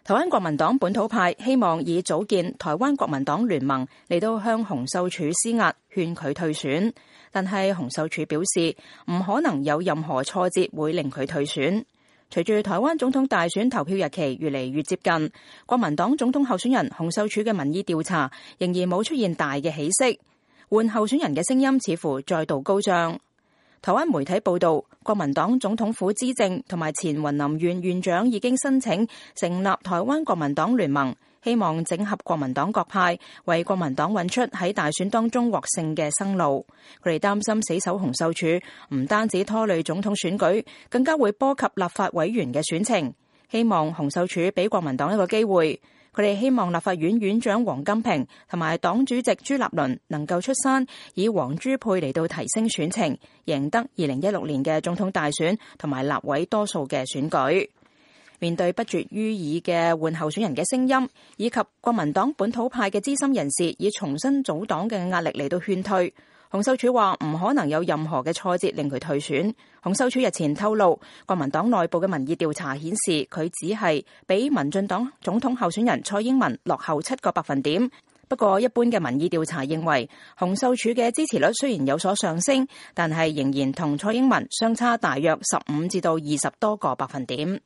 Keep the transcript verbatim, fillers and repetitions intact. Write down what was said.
台灣國民黨本土派希望以組建台灣國民黨聯盟嚟到向洪秀柱施壓，勸佢退選。但係洪秀柱表示唔可能有任何挫折會令佢退選。隨住台灣總統大選投票日期越嚟越接近，國民黨總統候選人洪秀柱嘅民意調查仍然冇出現大嘅起色，換候選人嘅聲音似乎再度高漲。台灣媒體報道，國民黨總統府資政同埋前雲林縣縣長已經申請成立台灣國民黨聯盟，希望整合國民黨各派，為國民黨揾出喺大選當中獲勝嘅生路。佢哋擔心死守洪秀柱唔單止拖累總統選舉，更加會波及立法委員嘅選情。希望洪秀柱俾國民黨一個機會。佢哋希望立法院院長王金平同埋黨主席朱立倫能夠出山，以黃朱配嚟到提升選情，贏得二零一六年嘅總統大選同埋立委多數嘅選舉。面對不絕於耳嘅換候選人嘅聲音，以及國民黨本土派嘅資深人士以重新組黨嘅壓力嚟到勸退，洪秀柱話唔可能有任何嘅挫折令佢退選。洪秀柱日前透露，國民黨內部嘅民意調查顯示佢只係比民進黨總統候選人蔡英文落後七個百分點。不過一般嘅民意調查認為，洪秀柱嘅支持率雖然有所上升，但係仍然同蔡英文相差大約十五至到二十多個百分點。